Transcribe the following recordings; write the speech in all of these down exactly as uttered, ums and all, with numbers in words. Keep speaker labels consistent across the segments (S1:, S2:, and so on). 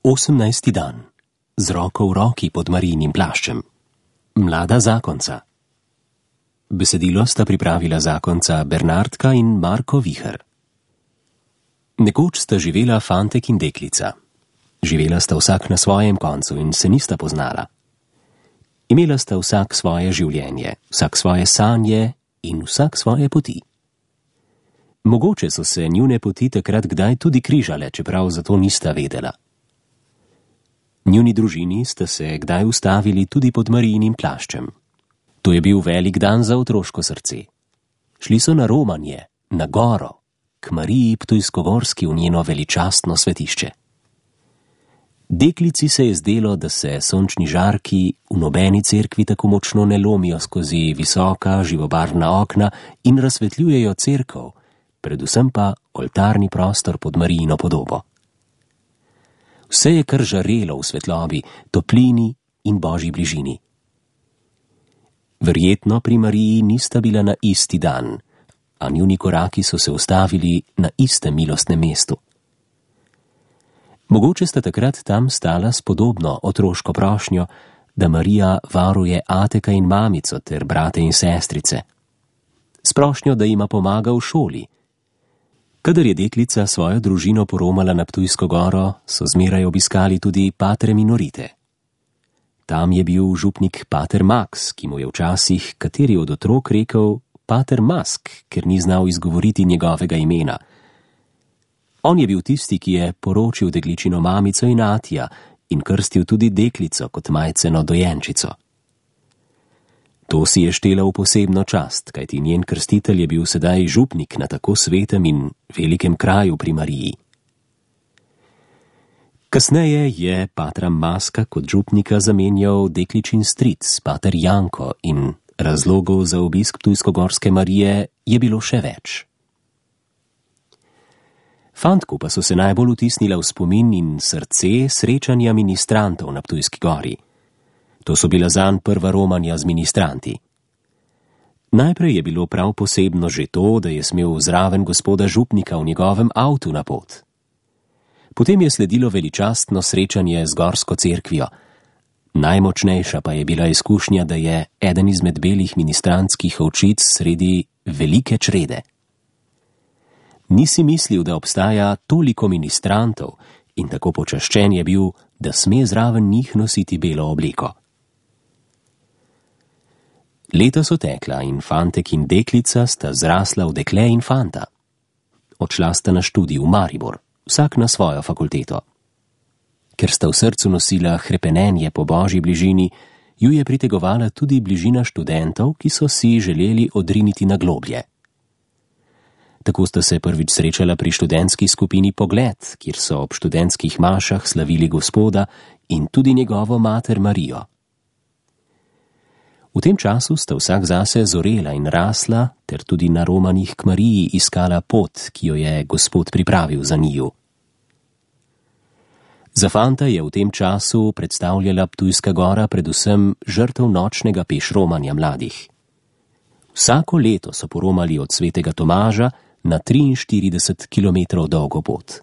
S1: Osemnajsti dan. Z roko v roki pod Marijinim plaščem. Mlada zakonca. Besedilo sta pripravila zakonca Bernardka in Marko Viher. Nekoč sta živela fantek in deklica. Živela sta vsak na svojem koncu in se nista poznala. Imela sta vsak svoje življenje, vsak svoje sanje in vsak svoje poti. Mogoče so se njune poti takrat kdaj tudi križale, čeprav za to nista vedela. Njuni družini sta se kdaj ustavili tudi pod Marijinim plaščem. To je bil velik dan za otroško srce. Šli so na romanje, na goro, k Mariji Ptujskogorski v njeno veličastno svetišče. Deklici se je zdelo, da se sončni žarki v nobeni cerkvi tako močno ne lomijo skozi visoka, živobarvna okna in razsvetljujejo cerkev, predvsem pa oltarni prostor pod Marijino podobo. Vse je kar žarelo v svetlobi, toplini in božji bližini. Verjetno pri Mariji nista bila na isti dan, a njuni koraki so se ustavili na istem milostnem mestu. Mogoče sta takrat tam stala s podobno otroško prošnjo, da Marija varuje ateka in mamico ter brate in sestrice. S prošnjo, da jima pomaga v šoli. Kadar je deklica svojo družino poromala na Ptujsko goro, so zmeraj obiskali tudi patere minorite. Tam je bil župnik pater Max, ki mu je včasih kateri od otrok rekel pater Mask, ker ni znal izgovoriti njegovega imena. On je bil tisti, ki je poročil dekličino mamico in atija in krstil tudi deklico kot majceno dojenčico. To si je štela v posebno čast, kajti njen krstitelj je bil sedaj župnik na tako svetem in velikem kraju pri Mariji. Kasneje je patra Maska kot župnika zamenjal dekličin stric, pater Janko, in razlogov za obisk Ptujskogorske Marije je bilo še več. Fantku pa so se najbolj vtisnila v spomin in srce srečanja ministrantov na Ptujski gori. To so bila zanj prva romanja z ministranti. Najprej je bilo prav posebno že to, da je smel zraven gospoda župnika v njegovem avtu na pot. Potem je sledilo veličastno srečanje z gorsko cerkvijo. Najmočnejša pa je bila izkušnja, da je eden izmed belih ministrantskih ovčic sredi velike črede. Nisi mislil, da obstaja toliko ministrantov in tako počaščen je bil, da sme zraven njih nositi belo obleko. Leta so tekla in fantek in deklica sta zrasla v dekle in fanta. Odšla sta na študij v Maribor, vsak na svojo fakulteto. Ker sta v srcu nosila hrepenenje po božji bližini, ju je pritegovala tudi bližina študentov, ki so si želeli odriniti na globlje. Tako sta se prvič srečala pri študentski skupini Pogled, kjer so ob študentskih mašah slavili Gospoda in tudi njegovo mater Marijo. V tem času sta vsak zase zorela in rasla, ter tudi na romanjih k Mariji iskala pot, ki jo je Gospod pripravil za njiju. Za fanta je v tem času predstavljala Ptujska gora predvsem žrtev nočnega pešromanja mladih. Vsako leto so poromali od svetega Tomaža na triinštirideset kilometrov dolgo pot.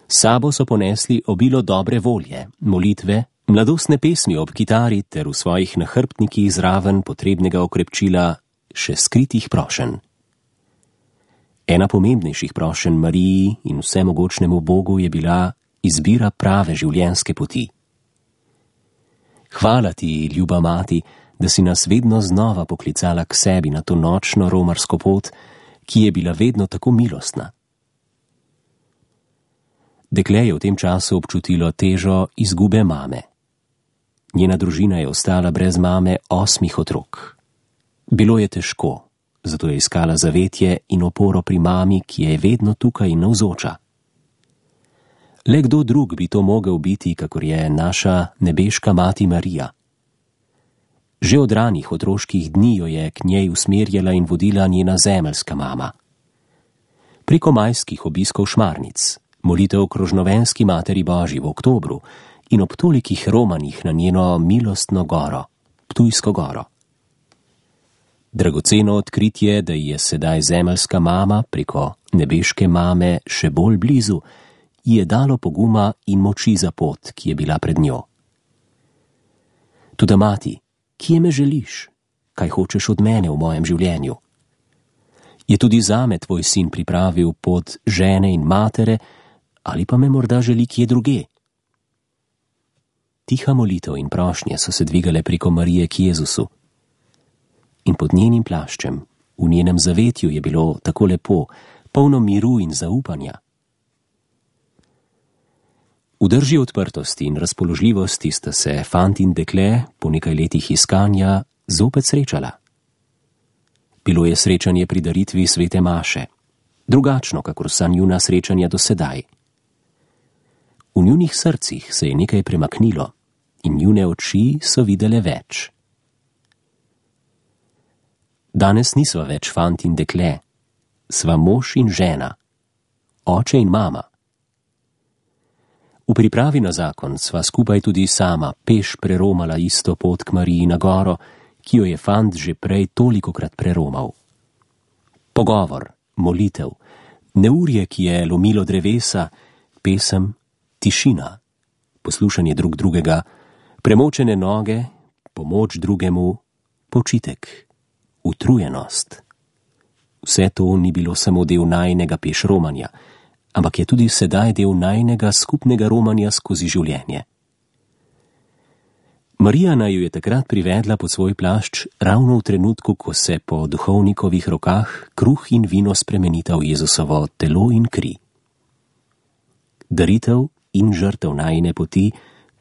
S1: S sabo so ponesli obilo dobre volje, molitve, mladostne pesmi ob kitari ter v svojih nahrbtnikih zraven potrebnega okrepčila še skritih prošenj. Ena pomembnejših prošenj Mariji in vsemogočnemu Bogu je bila izbira prave življenjske poti. Hvala ti, ljuba mati, da si nas vedno znova poklicala k sebi na to nočno romarsko pot, ki je bila vedno tako milostna. Dekle je v tem času občutilo težo izgube mame. Njena družina je ostala brez mame osmih otrok. Bilo je težko, zato je iskala zavetje in oporo pri mami, ki je vedno tukaj in navzoča. Le kdo drug bi to mogel biti, kakor je naša nebeška mati Marija. Že od ranih otroških dni jo je k njej usmerjala in vodila njena zemeljska mama. Preko majskih obiskov šmarnic, molitev krožnovenski materi Božji v oktobru in ob tolikih romanjih na njeno milostno goro, Ptujsko goro. Dragoceno odkritje, da je sedaj zemeljska mama preko nebeške mame še bolj blizu, ji je dalo poguma in moči za pot, ki je bila pred njo. Toda mati, kje me želiš? Kaj hočeš od mene v mojem življenju? Je tudi zame tvoj sin pripravil pot žene in matere, ali pa me morda želi kje druge? Tiha molitev in prošnje so se dvigale preko Marije k Jezusu. In pod njenim plaščem, v njenem zavetju je bilo tako lepo, polno miru in zaupanja. V drži odprtosti in razpoložljivosti sta se fant in dekle po nekaj letih iskanja zopet srečala. Bilo je srečanje pri daritvi svete maše, drugačno, kakor vsa njuna srečanja do sedaj. V njunih srcih se je nekaj premaknilo in njune oči so videle več. Danes nisva več fant in dekle, sva mož in žena, oče in mama. V pripravi na zakon sva skupaj tudi sama peš preromala isto pot k Mariji na goro, ki jo je fant že prej tolikokrat preromal. Pogovor, molitev, neurje, ki je lomilo drevesa, pesem, tišina, poslušanje drug drugega, premočene noge, pomoč drugemu, počitek, utrujenost. Vse to ni bilo samo del najinega peš romanja, ampak je tudi sedaj del najinega skupnega romanja skozi življenje. Marija naj jo je takrat privedla pod svoj plašč ravno v trenutku, ko se po duhovnikovih rokah kruh in vino spremenita v Jezusovo telo in kri. Daritev in žrtev najine poti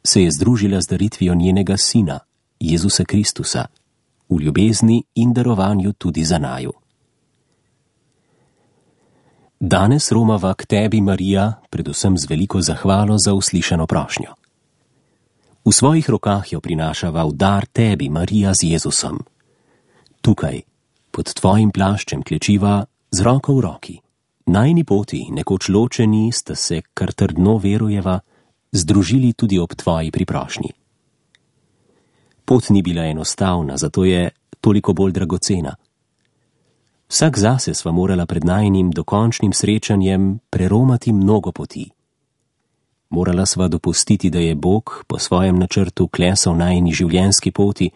S1: se je združila z daritvijo njenega sina, Jezusa Kristusa, v ljubezni in darovanju tudi za naju. Danes romava k tebi, Marija, predvsem z veliko zahvalo za uslišano prošnjo. V svojih rokah jo prinašava v dar tebi, Marija, z Jezusom. Tukaj, pod tvojim plaščem klečiva z roko v roki. Najni poti, nekoč ločeni, sta se, kar trdno verujeva, združili tudi ob tvoji priprošnji. Pot ni bila enostavna, zato je toliko bolj dragocena. Vsak zase sva morala pred najinim dokončnim srečanjem preromati mnogo poti. Morala sva dopustiti, da je Bog po svojem načrtu klesal najini življenjski poti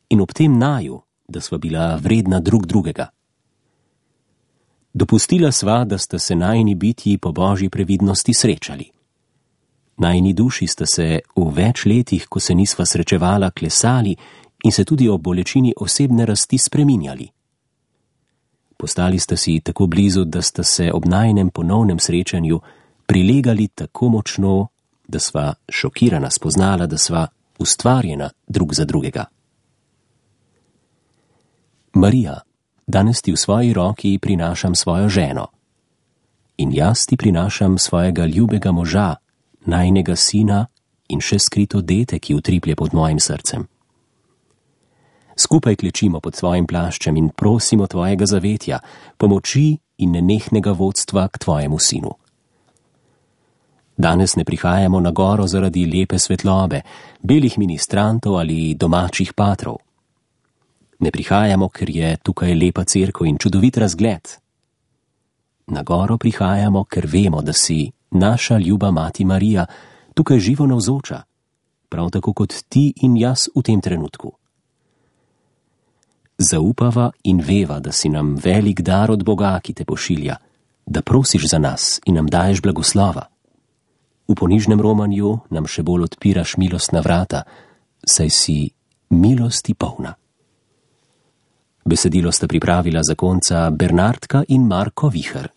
S1: in ob tem naju, da sva bila vredna drug drugega. Dopustila sva, da sta se najini bitji po božji previdnosti srečali. Najini duši sta se v več letih, ko se nisva srečevala, klesali in se tudi ob bolečini osebne rasti spreminjali. Postali sta si tako blizu, da sta se ob najinem ponovnem srečanju prilegali tako močno, da sva šokirana spoznala, da sva ustvarjena drug za drugega. Marija, danes ti v svoji roki prinašam svojo ženo. In jaz ti prinašam svojega ljubega moža, najinega sina in še skrito dete, ki utriplje pod mojim srcem. Skupaj klečimo pod svojim plaščem in prosimo tvojega zavetja, pomoči in nenehnega vodstva k tvojemu sinu. Danes ne prihajamo na goro zaradi lepe svetlobe, belih ministrantov ali domačih patrov. Ne prihajamo, ker je tukaj lepa cerkev in čudovit razgled. Na goro prihajamo, ker vemo, da si naša ljuba mati Marija tukaj živo navzoča, prav tako kot ti in jaz v tem trenutku. Zaupava in veva, da si nam velik dar od Boga, ki te pošilja, da prosiš za nas in nam daješ blagoslova. V ponižnem romanju nam še bolj odpiraš milostna vrata, saj si milosti polna. Besedilo sta pripravila zakonca Bernardka in Marko Viher.